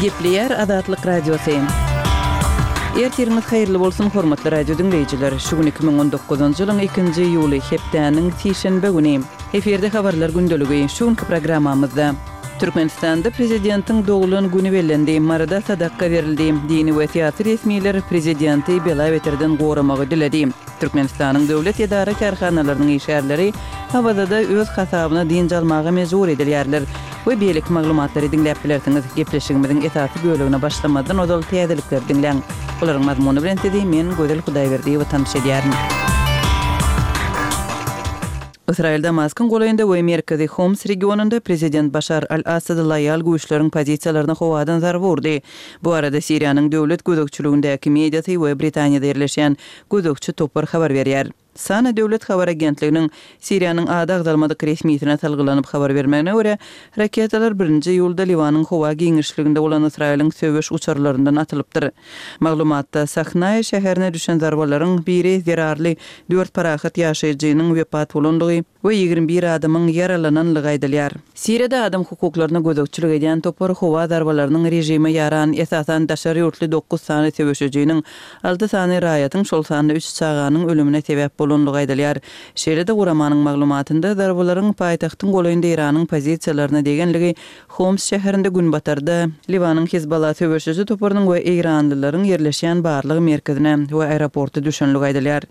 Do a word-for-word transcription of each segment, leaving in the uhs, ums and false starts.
Gepleýär Azatlyk Radiosy. Ertiriňiz haýyrly bolsun, hormatly radio diňleýjiler! Şu gün iki müň on dokuzynjy ýylyň ikinji iýuly, hepdäniň sişenbe güni. Efirde Habarlar gündeligi. Şu günki programmamyzda. Türkmenistanda prezidentiň doglan güni bellendi, Maryda sadakga berildi, dini we syýasy resmiler prezidenti bela-beterden goramagy diledi. Türkmenistanyň döwlet edara-kärhanalarynyň işgärleri Awazada öz hasabyna dynç almaga mejbur edilýärler we beýleki maglumatlary diňläp bilersiňiz. Gepleşigimiziň esasy bölegine başlamazdan ozal täzelikleri diňläň. Olaryň mazmuny bilen sizi men, Gözel Hudaýberdiýewa tanyş edýärin. Ysraýyl Damaskyň golaýynda we merkezi Homs regionynda prezident Başar al-Assada loýal güýçleriň pozisiýalaryna howadan zarba urdy. Bu barada Siriýanyň döwlet gözegçiligindäki mediasy we Britaniýada ýerleşýän gözegçi topar habar berýär. Sana döwlet habar agentliginiň Siriýanyň ady agzalmadyk resmisine salgylanyp habar bermegine görä, raketalar birinji iýulda Liwanyň howa giňişliginde bolan Ysraýylyň söweş uçarlaryndan atylypdyr. Maglumatda Sahnaýa şäherine düşen zarbalaryň biri zerarly dört parahat ýaşaýjynyň wepat bolandygy we ýigrimi bir adamyň ýaralananlygy aýdylýar. Siriýada adam hukuklaryna gözegçilik edýän topar howa zarbalarynyň režime ýaran, esasan daşary ýurtly dokuz sany söweşijiniň, alty sany raýatyň, şol sanda üç çaganyň ölümine sebäp bolandygy aýdylýar. Şeýle-de guramanyň maglumatynda zarbalaryň paýtagtyň golaýynda Eýranyň pozisiýalaryna degenligi, Homs şäherinde günbatarda Liwanyň Hizballa söweşiji toparynyň we eýranlylaryň ýerleşýän barlag merkezine we aeroporta düşenligi aýdylýar.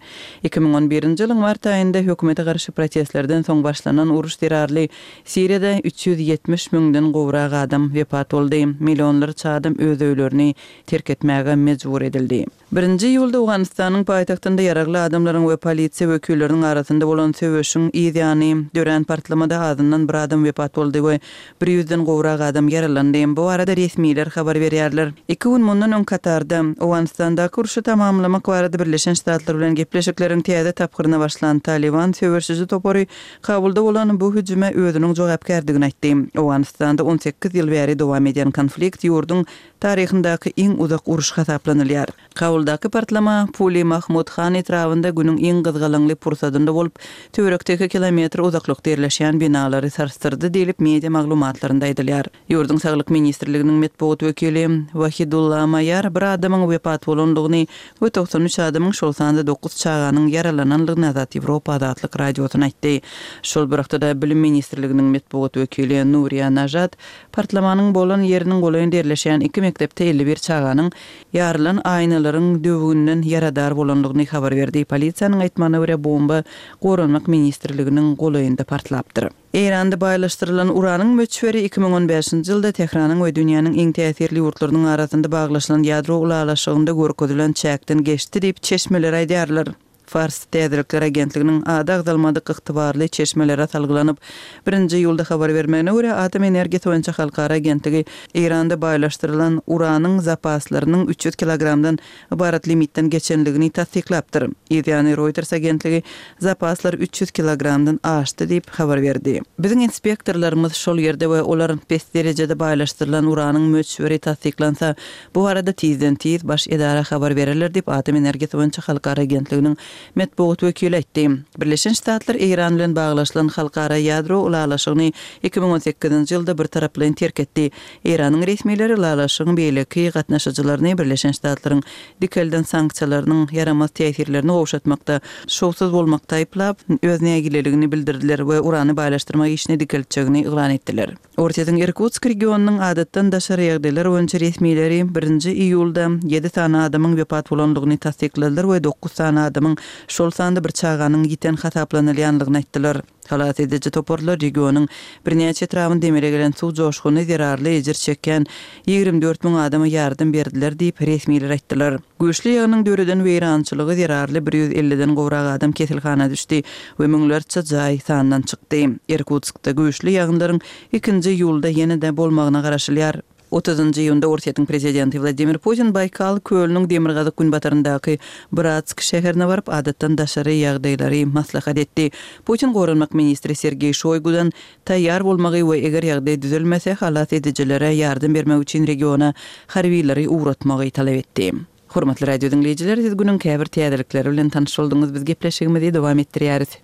Iki müň on birinji ýylyň mart aýynda hökümete garşy protestlerden soň başlanan uruş zerarly Siriýada üç ýüz ýetmiş müňden gowrak adam wepat boldy, millionlarça adam öz öýlerini terk etmäge mejbur edildi. Birinji iýulda Owganystanyň paýtagtynda ýaragly adamlaryň we polisiýa wekilleriniň arasynda bolan söweşiň yz ýany dörän partlamada azyndan bir adam wepat boldy we bir ýüzden gowrak adam ýaralandy. Bu barada resmiler habar berýärler. Iki gün mundan öň Katarda Owganystandaky urşy tamamlamak barada Birleşen Ştatlar bilen gepleşikleriň täze tapgyryna başlan Talyban söweşiji topary Kabulda bolan bu hüjüme özüniň jogapkärdigini aýtdy. Owganystanda on sekiz ýyl bäri dowam edýän konflikt ýurduň taryhyndaky iň uzak uruş hasaplanylýar. Kabuldaky partlama Puli Mahmud Han etrabynda günüň iň gyzgalaňly pursadynda bolup, töwerekde iki kilometr uzaklykda ýerleşýän binalary sarsdyrdy diýlip, media maglumatlarynda aýdylýar. Ýurduň Saglyk ministrliginiň metbugat wekili Wahidulla Maýar bir adamyň wepat bolandygyny we togsan üç adamyň, şol sanda dokuz çaganyň ýaralanandygyny Azat Ýewropa Azatlyk Radiosyna aýtdy. Şol bir wagtda-da Bilim ministrliginiň metbugat wekili Nuriýa Najat partlamanyň bolan ýeriniň golaýynda ýerleşýän iki mekdepde elli bir çaganyň ýarylan aýnalaryň döwüginden ýaradar bolandygyny habar berdi. Polisiýanyň aýtmagyna görä, bomba Goranmak ministrliginiň golaýynda partlapdyr. Eýranda baýlaşdyrylan uranyň möçberi iki müň on bäşinji ýylda Tähranyň we dünýäniň iň täsirli ýurtlarynyň arasynda baglaşylan ýadro ylalaşygynda görkezilen çäkden geçdi diýip, çeşmeler aýdýarlar. Fars täzelikler agentliginiň ady agzalmadyk ygtybarly çeşmelere salgylanyp, birinji iýulda habar bermegine görä, Atom energiýasy boýunça halkara agentligi Eýranda baýlaşdyrylan uranyň zapaslarynyň üç ýüz kilogramdan ybarat limitden geçenligini tassyklapdyr. Yzýany Reuters agentligi zapaslar üç ýüz kilogramdan aşdy diýip habar berdi. Biziň inspektorlarymyz şol ýerde we olar pes derejede baýlaşdyrylan uranyň möçberi tassyklansa, bu barada tizden-tiz baş edara habar bererler diýip, Atom energiýasy boýunça halkara agentliginiň metbugat wekili aýtdy. Birleşen Ştatlar Eýran bilen baglaşylan halkara ýadro ylalaşygyny iki müň on sekizinji ýylda birtaraplaýyn terk etdi. Eýranyň resmileri ylalaşygyň beýleki gatnaşyjylaryny Birleşen Ştatlaryň dikelden sanksiýalarynyň ýaramaz täsirlerini gowşatmakda şowsuz bolmakda aýyplap, öz nägileligini bildirdiler we urany baýlaşdyrmak işini dikeltjegini yglan etdiler. Orsýetiň Irkutsk regionynyň adatdan daşary ýagdaýlar boýunça resmileri birinji iýulda ýedi sany adamyň wepat bolandygyny tassykladylar we dokuz sany adamyň, şol sanda bir çaganyň ýiten hasaplanylýandygyny aýtdylar. Halas ediji toparlar regionyň birnäçe etrabynda emele gelen suw joşguny zerarly ejir çekýän ýigrimi dört müň adama ýardam berdiler diýip, resmiler aýtdylar. Güýçli ýagynyň döreden weýrançylygy zerarly bir ýüz elliden gowrak adam keselhana düşdi we müňlerçe jaý sandan çykdy. Irkutskda güýçli ýagynlaryň ikinji iýulda ýene-de bolmagyna garaşylýar. Otuzynjy iýunda Orsýetiň prezidenti Wladimir Putin Baýkal kölüniň demirgazyk-günbataryndaky Bratsk şäherine baryp, adatdan daşary ýagdaýlary maslahat etdi. Putin goranmak ministri Sergeý Şoýgudan taýýar bolmagy we eger ýagdaý düzelmese, halas edijilere ýardam bermek üçin regiona harbylary ugratmagy talap etdi. Hormatly radio diňleýjiler, siz günüň käbir täzelikleri bilen tanyş bolduňyz, biz gepleşigimizi dowam etdirýäris.